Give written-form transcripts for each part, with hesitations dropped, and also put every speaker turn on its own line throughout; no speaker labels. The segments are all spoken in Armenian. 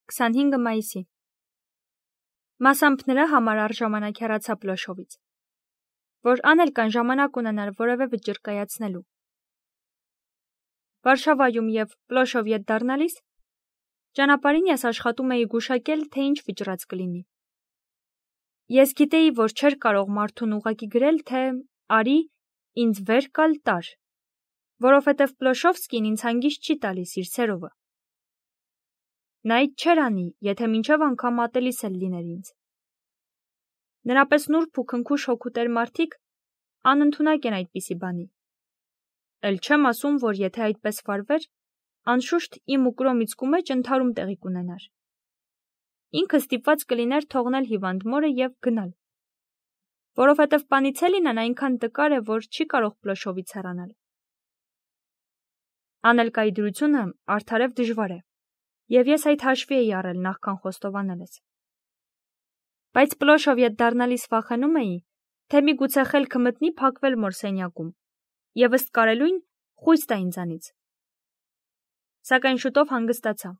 25 մայիսի։ Մասամբ նրա համար առժամանակ հեռացա Պլոշովից, որ անել կան ժամանակ ունենար որևէ վճիռ կայացնելու։ Վարշավայում և Պլոշով ետ դառնալիս ճանապարհին ես աշխատում էի գուշակել, թե ինչ վճռած կլինի։ Ես գիտեի, որ չէր կարող մարդուն ուղղակի գրել, թե արի ինձ վեր կալ տար, որովհետև Պլոշովսկին ինձ հանգիստ չի տալիս իր սերովը։ Նա այդ չէր անի, եթե մինչև անգամ ատելիս էլ լիներ ինձ։ Նրա պես նուրբ ու քնքուշ հոգուտեր մարդիկ անընդունակ են այդպիսի բանի։ Էլ չեմ ասում, որ եթե այդպես վարվեր, անշուշտ իմ ու Կրոմիցկու մեջ ընդհարում տեղի կունենար։ Ինքը ստիպված կլիներ թողնել հիվանդ մորը և գնալ, որովհետև Պանիցելինն այնքան տկար է, որ չի կարող Պլոշովից հեռանալ։ Անելկայի դրությունը արդարև դժվար է, և ես այդ հաշվի էի առել նախքան խոստովանելս։ Բայց Պլոշով ետ դառնալիս վախենում էի, թե միգուցե խելքը մտնի փակվել մոր սենյակում, և ըստ կարելույն խույս տա ինձանից։ Սակայն շուտով հանգստացա։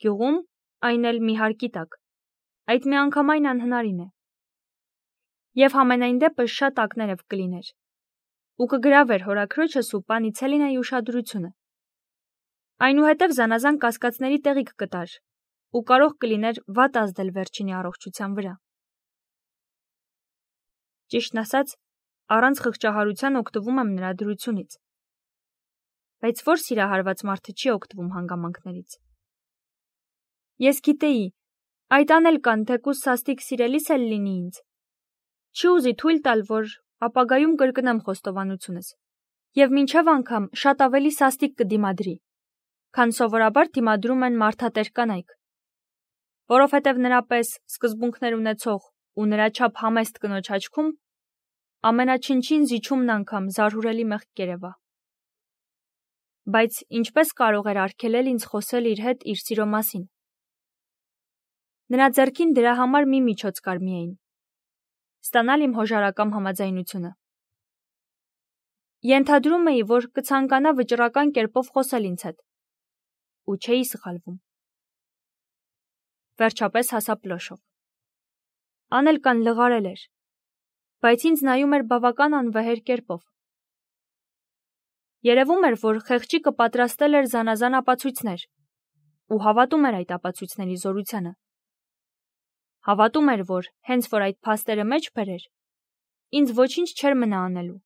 Գյուղում, այն էլ մի հարկի տակ, այդ միանգամայն անհնարին է։ Եվ համենայն դեպս շատ ակներև կլիներ, ու կգրավեր հորաքրոջս ու Պանիցելինայի ուշադրությունը։ Այնուհետև զանազան կասկածների տեղիք կտար ու կարող կլիներ վատ ազդել վերջինի առողջության վրա։ Ճիշտն ասած, առանց խղճահարության օգտվում եմ նրա դրությունից։ Բայց որ սիրահարված մարդը չի օգտվում հանգամանքներից։ Ես գիտեի, այդ անել կան, թեկուզ սաստիկ սիրելիս էլ լինի ինձ։ Չի ուզի թույլ տալ, որ ապագայում կրկնեմ խոստովանությունս, և մինչև անգամ շատ ավելի սաստիկ կդիմադրի, քան սովորաբար դիմադրում են մարդատեր կանայք, որովհետև նրա պես սկզբունքներ ունեցող ու նրա չափ համեստ կնոջ աչքում ամենաչնչին զիջումն անգամ զարհուրելի մեղք կերևա։ Բայց ինչպես կարող էր արգելել ինձ խոսել իր հետ իր սիրո մասին։ Նրա ձեռքին դրա համար մի միջոց կար միայն՝ ստանալ իմ հոժարակամ համաձայնությունը։ Ենթադրում էի, որ կցանկանա վճռական կերպով խոսել ինձ հետ, ու չէի սխալվում։ Վերջապես հասա Պլոշով։ Անելկան լղարել էր, բայց ինձ նայում էր բավական անվեհեր կերպով։ Երևում էր, որ խեղճիկը պատրաստել էր զանազան ապացույցներ ու հավատում էր այդ ապացույցների զորությանը։ Հավատում էր, որ հենց որ այդ փաստերը մեջ բերեր, ինձ ոչինչ չէր մնա անելու,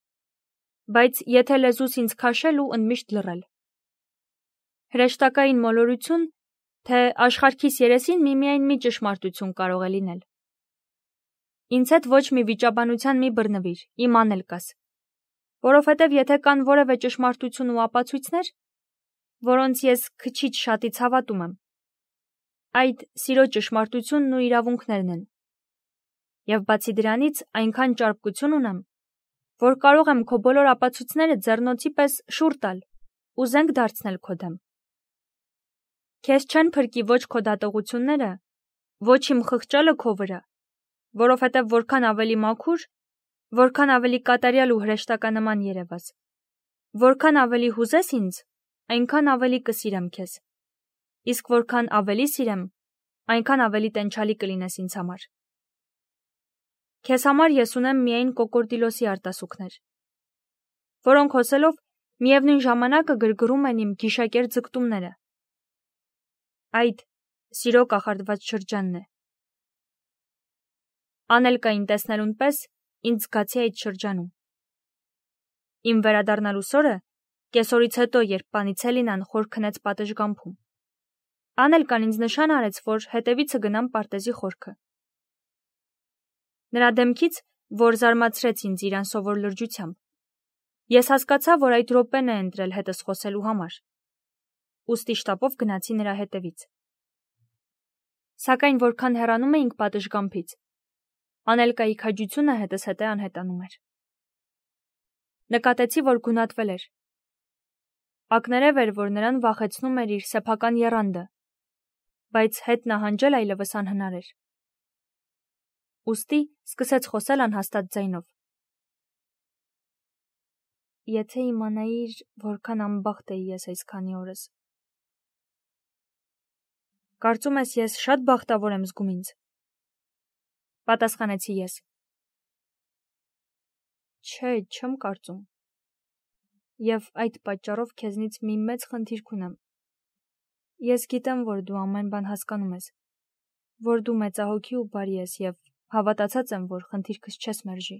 բայց եթե լեզուս ինձ քաշել ու ընդմիշտ լռել։ Հրեշտակային մոլորություն, թե աշխարհքիս երեսին միմիայն մի ճշմարտություն կարող է լինել։ Ինձ հետ ոչ մի վիճաբանության մի բռնվիր, իմ անելկաս, որովհետև եթե կան որևէ ճշմարտություն ու ապացույցներ, որոնց ես քչից շատից հավատում եմ, այդ սիրո ճշմարտությունն ու իրավունքներն են։ Եվ բացի դրանից այնքան ճարպկություն ունեմ, որ կարող եմ քո բոլոր ապացույցները ձեռնոցի պես շուռ տալ ու զենք դարձնել քո դեմ։ Քեզ չեն փրկի ոչ քո դատողությունները, ոչ իմ խղճալը քո վրա, որովհետև որքան ավելի մաքուր, որքան ավելի կատարյալ ու հրեշտականման երևաս, որքան ավելի հուզես ինձ, այնքան ավելի կսիրեմ քեզ, իսկ որքան ավելի սիրեմ, այնքան ավելի տենչալի կլինես ինձ համար։ Քեզ համար ես ունեմ միայն կոկորդիլոսի արտասուքներ, որոնք հոսելով միևնույն ժամանակը գրգռում են իմ գիշակեր ձգտումները։ Այդ սիրո կախարդված շրջանն է։ Անելկային տեսնելուն պես ինձ զգացի այդ շրջանում։ Իմ վերադառնալու սորը, կեսօրից հետո, երբ Պանիցելինան խոր քնեց պատշգամբում, Անելկան ինձ նշան արեց, որ հետևիցը գնամ պարտեզի խորքը։ Նրա դեմքից, որ զարմացրեց ինձ իր անսովոր լրջությամբ, ես հասկացա, որ այդ րոպեն է ընտրել հետս խոսելու համար, ուստի շտապով գնացի նրա հետևից։ Սակայն որքան հեռանում էինք պատշգամբից, Անելկայի քաջությունը հետս հետե անհետանում էր։ Նկատեցի, որ գունատվել էր։ Ակներև էր, որ նրան վախեցնում էր իր սեփական եռանդը, բայց հետ նահանջել այլևս անհնար էր։ Ուստի սկսեց խոսել անհաստատ ձայնով։ Եթե իմանայիր, որքան անբախտ էի ես այս քանի օրս։ Կարծում ես ես շատ բախտավոր եմ զգում ինձ։ Պատասխանեցի ես։ Չէ, չեմ կարծում։ Եվ այդ պատճառով քեզնից մի մեծ խնդիր կունեմ։ Ես գիտեմ, որ դու ամեն բան հասկանում ես, որ դու մեծահոգի ու բարի ես և հավատացած եմ, որ խնդիրքս չես մերժի։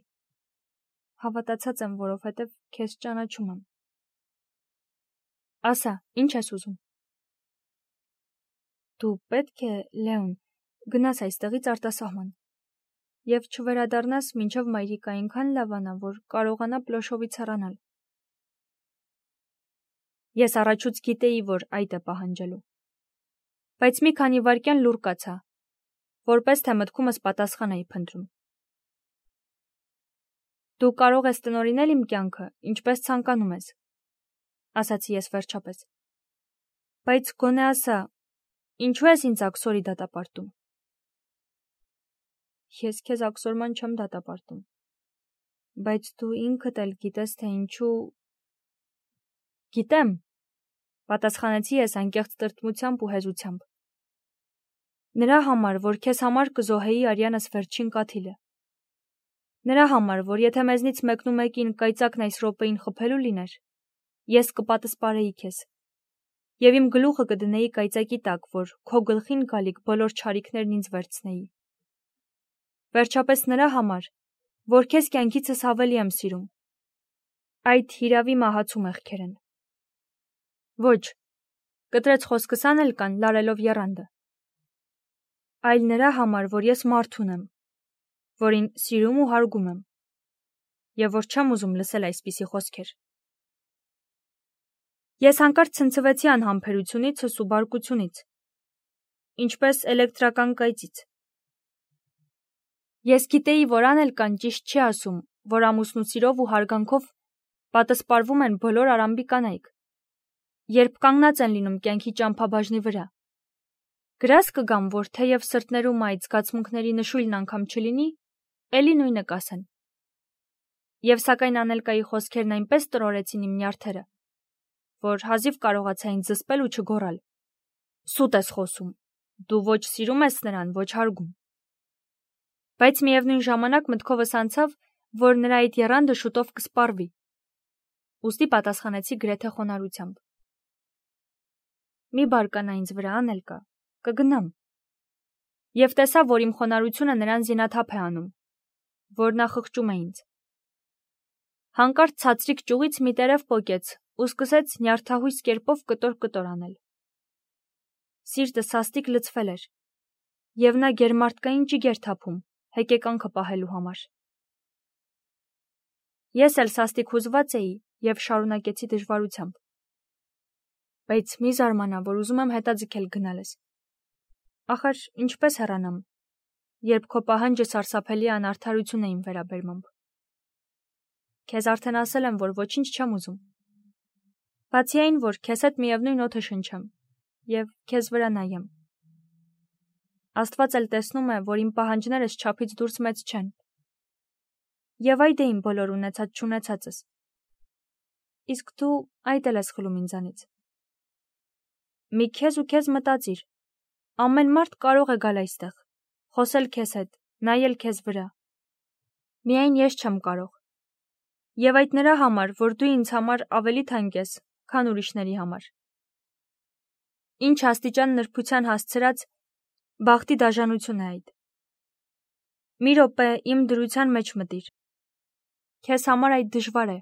Հավատացած եմ, որովհետև քեզ ճանաչում եմ։ Ասա, ինչ ես ուզում։ Դու պետք է, Լեոն, գնաս այստեղից արտասահման և չվերադառնաս մինչև մայրիկը այնքան լավանա, որ կարողանա Պլոշովից հեռանալ։ Ես առաջուց գիտեի, որ այդ է պահանջելու։ Բայց մի քանի վայրկյան լուռ կացա, որպես թե մտքումս պատասխան էի փնտրում։ Դու կարող ես տնօրինել իմ կյանքը, ինչպես ցանկանում ես, ասացի ես վերջապես։ Բայց գոնե ասա, ինչու ես ինձ աքսորի դատապարտում։ Ես քեզ աքսորման չեմ դատապարտում, բայց դու ինքդ էլ գիտես, թե ինչու։ Գիտեմ, պատասխանեցի ես անկեղծ տրտմությամբ ու հեզությամբ։ Նրա համար, որ քեզ համար կզոհեի արյանս վերջին կաթիլը։ Նրա համար, որ եթե մեզնից մեկնումեկին կայծակն այս րոպեին խփելու լիներ, ես կպատասպարեի քեզ։ Եվ իմ գլուխը կդնեի կայծակի տակ, որ քո գլխին գալիք բոլոր չարիքներն ինձ վերցնեի։ Վերջապես նրա համար, որ քեզ կյանքիցս ավելի եմ սիրում։ Այդ հիրավի մահացու մեղքեր են։ Ոչ, կտրեց խոսքս անել կան, լարելով եռանդը։ Այլ նրա համար, որ ես մարդ ունեմ, որին սիրում ու հարգում եմ, և որ չեմ ուզում լսել այսպիսի խոսքեր։ Ես հանկարծ ցնցվեցի անհամբերությունիցս ու բարկությունից, ինչպես էլեկտրական կայծից։ Ես գիտեի, որ Անելկան ճիշտ չի ասում, որ ամուսնու սիրով ու հարգանքով պատասպարվում են բոլոր Արամբի կանայք, երբ կանգնած են լինում կյանքի ճամփաբաժնի վրա։ Գրազ կգամ, որ թեև սրտներում այդ զգացմունքների նշույլն անգամ չլինի, էլի նույնը կասեն։ Եվ սակայն Անելկայի խոսքերն այնպես տրորեցին իմ նյարդերը, որ հազիվ կարողացա ինձ զսպել ու չգոռալ. Սուտ ես խոսում, դու ոչ սիրում ես նրան, ոչ հարգում։ Բայց միևնույն ժամանակ մտքովս անցավ, որ նրա այդ եռանդը շուտով կսպառվի։ Ուստի պատասխանեցի գրեթե խոնարհությամբ. Մի բարկանա ինձ վրա, Անելկա, կգնամ։ Եվ տեսա, որ իմ խոնարհությունը նրան զինաթափ է անում, որ նա խղճում է ինձ։ Հանկարծ ցածրիկ ճյուղից մի տերև պոկեց ու սկսեց նյարդահույս կերպով կտոր անել։ Սիրտը սաստիկ լցվել էր, և նա գերմարդկային ճիգ էր թափում, հեկեկանքը պահելու համար։ Ես էլ սաստիկ հուզված էի և շարունակեցի դժվարությամբ։ Բայց մի զարմանա, որ ուզում եմ հետաձգել գնալս։ Ախր ինչպես հեռանամ, երբ քո պահանջը սարսափելի անարդարություն է իմ վերաբերմամբ։ Քեզ արդեն ասել եմ, որ ոչինչ չեմ ուզում։ Բացի այն, որ քեզ հետ միևնույն օդը շնչեմ և քեզ վրա նայեմ։ Աստված էլ տեսնում է, որ իմ պահանջներս չափից դուրս մեծ չեն։ Եվ այդ է իմ բոլոր ունեցած-չունեցածս։ Իսկ դու այդ էլ ես խլում ինձանից։ Մի քեզ ու քեզ մտածիր։ Ամեն մարդ կարող է գալ այստեղ, խոսել քեզ հետ, նայել քեզ վրա։ Միայն ես չեմ կարող։ Եվ այդ նրա համար, որ դու ինձ համար ավելի թանկ ես, քան ուրիշների համար։ Ինչ աստիճան նրբության հասցրած բախտի դաժանություն է այդ։ Մի րոպե իմ դրության մեջ մտիր։ Քեզ համար այդ դժվար է,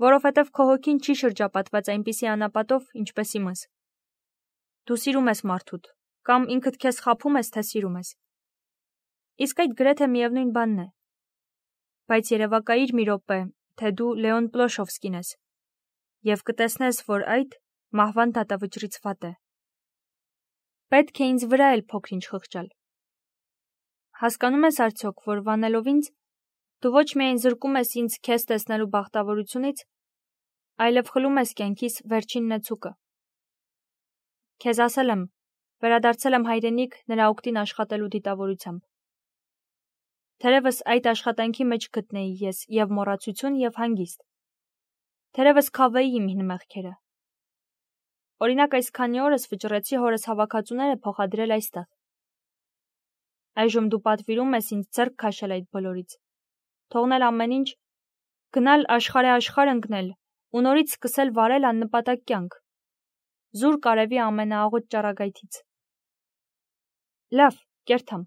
որովհետև քո հոգին չի շրջապատված այնպիսի անապատով, ինչպես իմս։ Դու սիրում ես մարդուդ, կամ ինքդ քեզ խաբում ես, թե սիրում ես։ Իսկ այդ գրեթե միևնույն բանն է։ Բայց երևակայիր մի րոպե, թե դու Լեոն Պլոշովսկին ես, և կտեսնես, որ այդ մահվան դատավճռից վատ է։ Պետք է ինձ վրա էլ փոքր-ինչ խղճալ։ Հասկանում ես արդյոք, որ վանելով ինձ, դու ոչ միայն զրկում ես ինձ քեզ տեսնելու բախտավորությունից, այլև խլում ես կյանքիս վերջին նեցուկը։ Քեզ ասել եմ, վերադարձել եմ հայրենիք նրա օգտին աշխատելու դիտավորությամբ։ Թերևս այդ աշխատանքի մեջ գտնեի ես և մոռացություն և հանգիստ։ Թերևս քավեի իմ հին մեղքերը։ Օրինակ այս քանի օրս վճռեցի հորս հավաքածուները փոխադրել այստեղ։ Այժմ դու պատվիրում ես ինձ ձեռք քաշել այդ բոլորից, թողնել ամեն ինչ, գնալ աշխարհ ընկնել ու նորից սկսել վարել աննպատակ կյանք, զուր կարևի ամենաաղոտ ճառագայթից։ Լավ, կերթամ,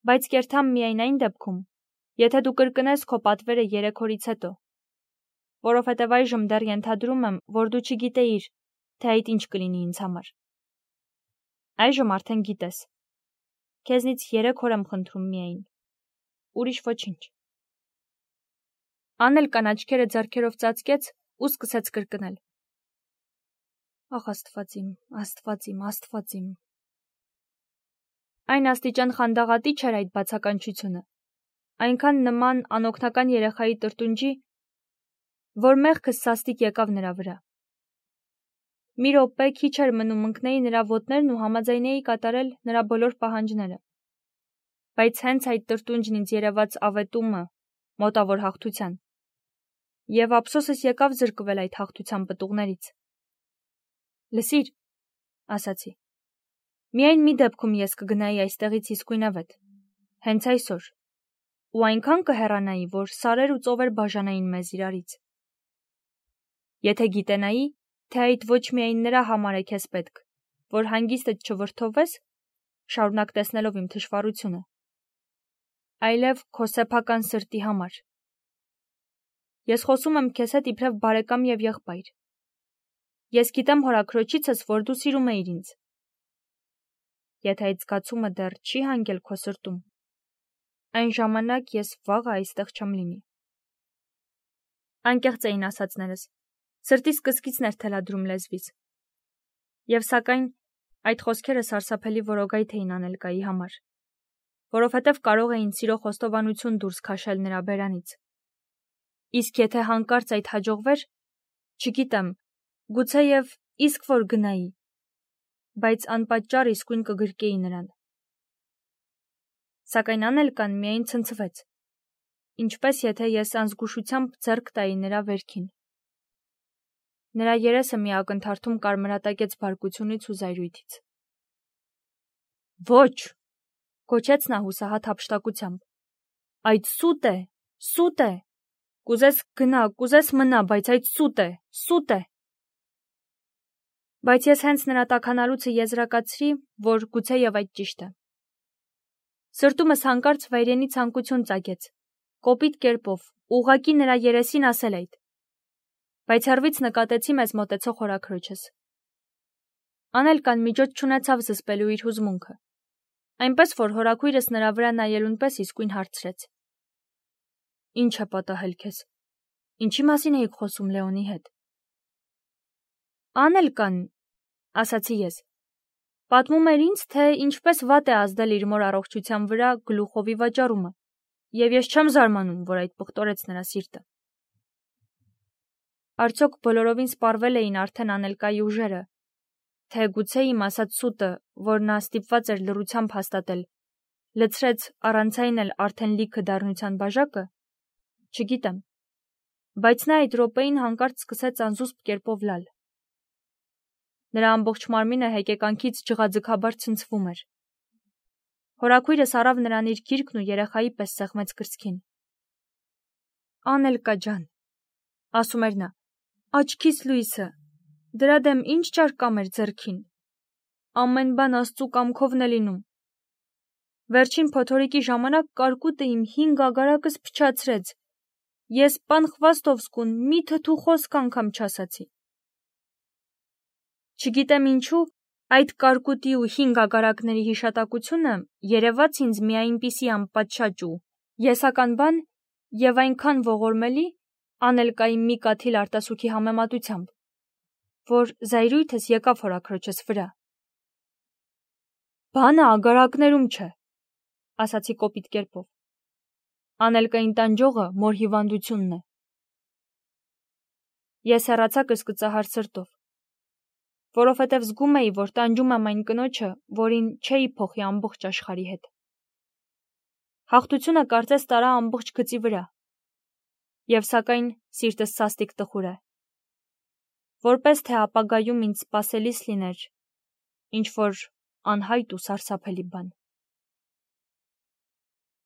բայց կերթամ միայն այն դեպքում, եթե դու կրկնես քո պատվերը 3 օրից հետո, որովհետև այժմ դեռ ենթադրում եմ, որ դու չգիտեիր, թե այդ ինչ կլինի ինձ համար։ Այժմ արդեն գիտես։ Քեզնից 3 օր եմ խնդրում միայն, ուրիշ ոչինչ։ Անելկան աչքերը ձեռքերով ծածկեց ու սկսեց կրկնել. Ախ, Աստված իմ, Աստված իմ, Աստված իմ։ Այն աստիճան խանդաղատի չէր այդ բացականչությունը, այնքան նման անօգնական երեխայի տրտունջի, որ մեղքս սաստիկ եկավ նրա վրա։ Մի րոպե քիչ էր մնում ընկնեի նրա ոտներն ու համաձայնեի կատարել նրա բոլոր պահանջները, բայց հենց այդ տրտունջն ինձ երևաց ավետումը մոտավոր հաղթության, և ափսոսս եկավ զրկվել այդ հաղթության պտուղներից։ Լսիր, ասացի, միայն մի դեպքում ես կգնայի այստեղից իսկույնավետ, հենց այսօր, ու այնքան կհեռանայի, որ սարեր ու ծովեր բաժանային մեզ իրարից։ Եթե գիտենայի, թե այդ ոչ միայն նրա համար է քեզ պետք, որ հանգիստդ չվրդովվես, շարունակ տեսնելով իմ թշվառությունը, այլև քո սեփական սրտի համար։ Ես խոսում եմ քեզ հետ իբրև բարեկամ և եղբայր։ Ես գիտեմ հորաքրոջիցս, որ դու սիրում էիր ինձ։ Եթե այդ զգացումը դեռ չի հանգել քո սրտում, այն ժամանակ ես վաղը այստեղ չեմ լինի։ Անկեղծ էին ասածներս, սրտիս կսկիցն էր թելադրում լեզվիս։ Եվ սակայն այդ խոսքերը սարսափելի որոգայթ էին Անելկայի համար, որովհետև կարող էին սիրո խոստովանություն դուրս քաշել նրա բերանից։ Իսկ եթե հանկարծ այդ հաջողվեր, չգիտեմ, գուցեև իսկ որ գնայի, բայց անպատճառ իսկույն կգրկեի նրան։ Սակայն Անելկան միայն ցնցվեց, ինչպես եթե ես անզգուշությամբ ձեռք տայի նրա վերքին։ Նրա երեսը մի ակնթարթում կարմրատակեց բարկությունից ու զայրույթից։ Ոչ, գոչեց նա հուսահատ հափշտակությամբ։ Այդ սուտ է, սուտ է։ Կուզես գնա, կուզես մնա, բայց այդ սուտ է, սուտ է։ Բայց ես հենց նրա տաքանալուցը եզրակացրի, որ գուցեև այդ ճիշտ է։ Սրտումս հանկարծ վայրենի ցանկություն ծագեց, կոպիտ կերպով, ուղղակի նրա երեսին ասել այդ։ Բայց հեռվից նկատեցի մեզ մոտեցող հորաքրոջս։ Անելկան միջոց չունեցավ զսպելու իր հուզմունքը, այնպես որ հորաքույրս նրա վրա նայելուն պես իսկույն հարցրեց. Ինչ է պատահել քեզ։ Ինչի մասին էիք խոսում Լեոնի հետ։ Անելկան, ասացի ես, պատմում էր ինձ, թե ինչպես վատ է ազդել իր մոր առողջության վրա գլուխովի վաճառումը, և ես չեմ զարմանում, որ այդ պղտորեց նրա սիրտը։ Արդյոք բոլորովին սպառվել էին արդեն Անելկայի ուժերը, թե գուցե իմ ասած սուտը, որ նա ստիպված էր լռությամբ հաստատել, լցրեց առանցայն էլ արդեն լիքը դառնության բաժակը, չգիտեմ, բայց նա այդ րոպեին հանկարծ սկսեց անզուսպ կերպով լալ։ Նրա ամբողջ մարմինը հեկեկանքից ջղաձգաբար ցնցվում էր։ Հորաքույրս առավ նրան իր գիրկն ու երեխայի պես սեղմեց կրծքին։ Անելկա ջան, ասում էր նա, աչքիս լույսը, դրա դեմ ինչ ճարկամ էր ձեռքին։ Ամեն բան Աստծու կամքովն է լինում։ Վերջին փոթորիկի ժամանակ կարկուտը իմ 5 ագարակս փչացրեց։ Ես պան Խվաստովսկուն մի թթու խոսք անգամ չասացի։ Չգիտեմ ինչու, այդ կարկուտի ու 5 ագարակների հիշատակությունը երևաց ինձ մի այնպիսի անպատշաճ ու եսական բան և այնքան ողորմելի Անելկայի մի կաթիլ արտասուքի համեմատությամբ, որ զայրույթս եկավ հորաքրոջս վրա։ Բանը ագարակներում չէ, ասացի կոպիտ կերպով։ Անելկային տանջողը մոր հիվանդությունն է։ Ես հեռացա կսկծահար սրտով, որովհետև զգում էի, որ տանջում եմ այն կնոջը, որին չէի փոխի ամբողջ աշխարհի հետ։ Հաղթությունը կարծես տարա ամբողջ գծի վրա, և սակայն սիրտս սաստիկ տխուր է, որպես թե ապագայում ինձ սպասելիս լիներ ինչ-որ անհայտ ու սարսափելի բան։